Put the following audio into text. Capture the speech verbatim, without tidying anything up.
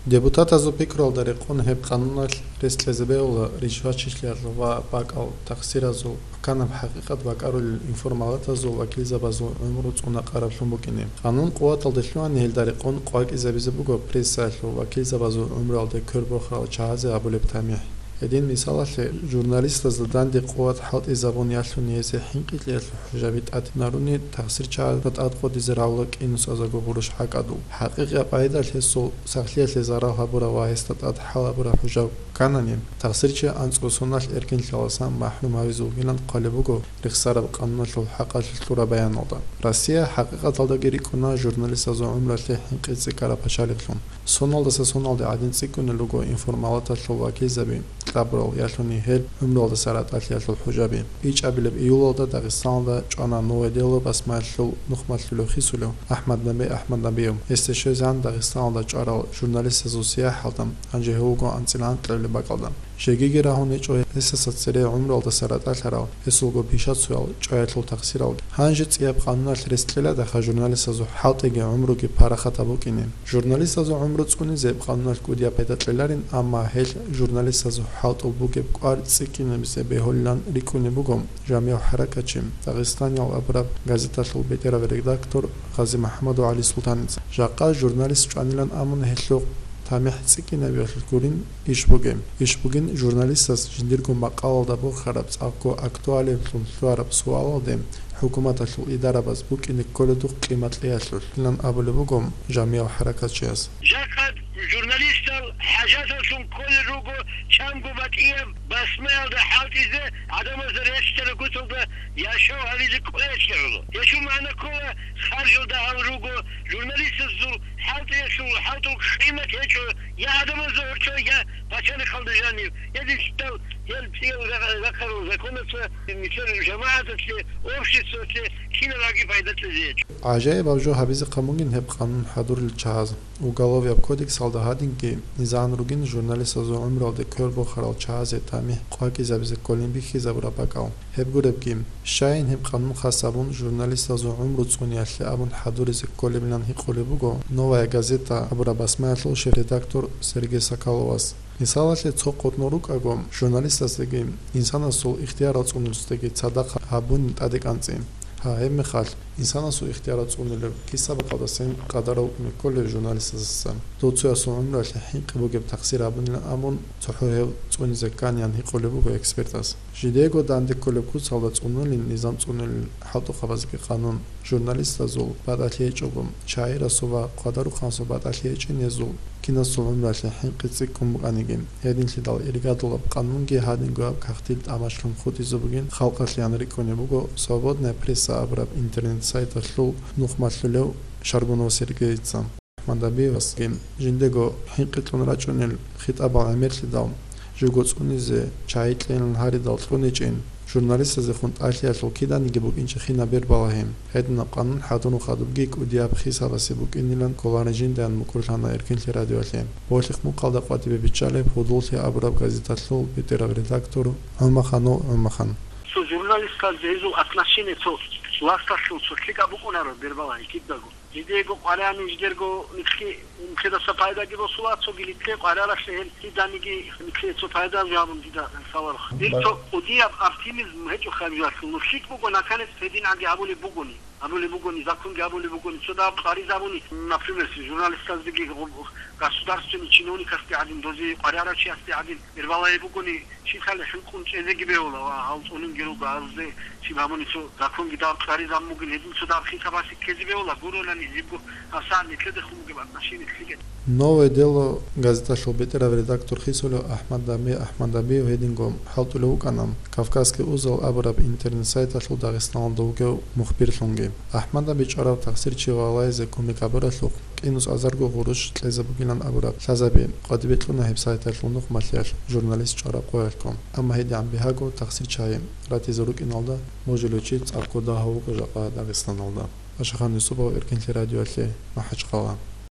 Депутатазул пикруялда рекъон гьеб къануналъ рес кьезе бегьула ришвачилъиялъул ва бакӀал тахсиразул, пуканаб хӀакъикъат бакӀарулел информалатазул вакилзабазул гӀумру цӀуна-къараблъун букӀине. Къанун къуваталде лъугьани гьелда рекъон къвакӀизабизе буго прессаялъул вакилзабазул гӀумруялде квербохарал чагьазе гьабулеб тамихӀ. Гьедин мисалалъе, журналистазда данде къуват хӀалтӀизабун ялъуни гьесие хӀинкъи кьеялъул хӀужаби тӀатинаруни тахсирчагӀазда тӀадкъодизе равла кӀинусазего гъурущ гӀакӀадул. ХӀакъикъияб къагӀидалъ гьесул сахлъиялъе зарал гьабураб ва гьесда тӀад хӀал гьабураб хӀужаб кканани, тахсирчи анцӀго соналъ эркинлъиялдасан махӀрум гьавизе вугилан хъвалеб буго рехсараб къануналъул хӀакъалъулъ лъураб баяналда. Россия хӀакъикъаталдаги рикӀкӀуна журналистазул гӀумруялъе хӀинкъи цӀикӀкӀараб пачалихълъун. Соналдаса соналде гӀадин цӀикӀкӀунел руго информалаталъул вакилзаби, кьабурал, ялъуни гьел гӀумруялдаса ратӀалъиялъул хӀужаби. ИчӀабилеб июлалда Дагъистаналда чӀвана «Новое дело» басмаялъул нухмалъулев хисулев АхӀмад Наби АхӀмаднабиев. Гьесде щвезегӀан Дагъистаналда чӀварал журналистазул сияхӀалда, гьанже гьев вуго анцӀила анкьабилеб бакӀалда. Жегиги рагьун гьечӀо гьесдаса цере гӀумруялдаса ратӀалъарал гьесулго пишацоял, чӀваялъул тахсиралги. Гьанже цӀияб къануналъ рес кьеладаха журналистазул хӀалтӀиги гӀумруги парахатаб букӀине. Журналистазул гӀумру цӀунизе къануналъ кӀудияб пайда кьеларин, амма гьелъ журналистазул хӀалтӀул бугеб кӀвар цӀикӀкӀинабизе бегьулилан рикӀкӀунеб буго жамигӀ хӀаракатчи, Дагъистаниял абураб газеталъул бетӀерав редактор Гъази-МухӀамадов ГӀалисултаница. Жакъа журналист чӀванилан абун гьелъухъ тамихӀ цӀикӀкӀинабиялъулъ гурин иш бугеб. Иш бугин журналистас жиндирго макъалалда борхараб цӀакъго актуалиблъун лъугьараб суалалде хӀукуматалъул идарабаз букӀине кколедухъ къимат кьеялъулъ, илан абулеб буго жамигӀ хӀаракатчияс. Жакъа журналистал хӀажаталлъун кколел руго чанго батӀияб басмаялда хӀалтӀизе, гӀадамазда рещтӀараб гуталда яшав гьавизе кӀвеялъе гӀоло. Гьелъул магӀна ккола, харжал дагьал руго, журналистазул хӀалтӀиялъул хӀалтӀул къимат гьечӀо я гӀадамазда гьоркьо, я пачалихъалда жанив, я динлъидал, я цӀиял ра-, рахъарал законаца нилъер жамагӀаталъе, обществалъе кинаб гӀаги пайда кьезе гьечӀо. ГӀажаибаб жо гьабизе хъамугин гьеб къанун хӀадурил чагьаз. Уголовияб кодексалда гьадинги низагӀан ругин журналистазул гӀумруялде квер бохарал чагьазе тамихӀ къвакӀизабизе кколин бихьизабураб бакӀал. Гьеб гуребги, щайин гьеб къанун хас гьабун журналистазул гӀумру цӀуниялъе абун хӀадуризе кколебилан гьикъулеб буго «Новая газета» абураб басмаялъул шеф-редактор Сергей Соколовас. Мисалалъе, цо къотӀнор рукӀаго, журналистасдаги, инсанасул ихтиярал цӀунулесдаги цадахъ гьабунин тӀаде кӀанцӀи. Гьа, гьебмехалъ, инсанасул ихтиярал цӀунулеб киса бакӀалдасин къадарав кумек кколев журналистасдасан. Дов цоясул гӀумруялъе хӀинкъи бугеб тахсир гьабунилан абун, цохӀо гьев цӀунизе кканин гьикъулеб буго экспертас. Жидего данде кколеб куцалда цӀунулин низам цӀунулел хӀалтӀухъабазги къанун. Журналистазул батӀалъи гьечӀого, шагӀирасул ва хъвадарухъанасул батӀалъи гьечӀин гьезул кинасул гӀумруялъе хӀинкъи цӀикӀкӀун букӀаниги. Гьединлъидал иргадулаб къанунги гьадингояб кагътил тӀамачлъун хутӀизе бугин халкъалъе ан рикӀкӀунеб буго «Свободная пресса» абураб интернет-сайталъул нухмалъулев Шаргунов Сергейица. АхӀмадабиевасги жиндего хӀинкъи кьун рачӀунел хитӀабал гӀемерлъидал, живго цӀунизе чагӀи кьейилан гьаридал кьуничӀин, журналистазехун тӀалъиялъул киданиги букӀинчӀеб хинаб бер балагьи. Гьединаб къанун хӀадурун хадубги кӀудияб хисабасе букӀинилан кколарин жиндаян мукӀурлъана Эркинлъи радиоялъе. Болъихъ мухъалда къватӀибе биччалеб «Гьудуллъи» абураб газеталъул бетӀерав редактор ГӀумаханов ГӀумахан. Цо журналистазда гьезул отношение цо власталъул цо лъикӀаб букӀунаро бер балагьи кидаго. Жидего къваригӀани жидерго нилъги, нилъедаса пайдаги босула, цоги нилъее къваригӀаралъе гьел киданиги нилъее цо пайда гьабун дида саларухъ. Дир цо кӀудияб оптимизм гьечӀо хабиялъул. Ну, лъикӀ буго, наконец, гьедин гӀаги гьабулеб бугони, гьабулеб бугони, законги гьабулеб бугони, цо дагьаб къваригӀизабуни, например, журналистаздаги, государственный чиновникасде гӀадин, дозе къваригӀарав чиясде гӀадин, бер балагьи бугони, щиб лъалеб хӀинкъун чӀезеги бегьула ва гьал цӀунулги руго, гьалде щиб гьабуни цо законги дагьаб къваригӀизабун бугин, гьедин цо дагьаб хитаб гьабизе ккезе бегьула, гуронани гьебго гьабсагӀат нилъедехун бугеб отношение лъикӀ. «Новое дело» газеталъул бетӀерав редактор хисулев АхӀмаднабий АхӀмаднабиев гьединго хӀалтӀулев вукӀана «Кавказский узел» абураб интернет-сайталъул Дагъистаналда вугев мухбирлъунги. АхӀмаднаби чӀварав тахсирчи валагьизе кумек гьабуралъухъ, кӀинус азарго гъурущ кьезе бугилан абураб лъазаби къватӀибе кьуна гьеб сайталъул нухмалъиялъ журналист чӀвараб къоялъго. Амма гьедигӀан бигьаго тахсирчагӀи ратизе рукӀиналда, божилев чи цӀакъго дагьав вукӀа жакъа Дагъистаналда. Ашахан Юсупов, Эркинлъи радиоялъе, МахӀачхъала.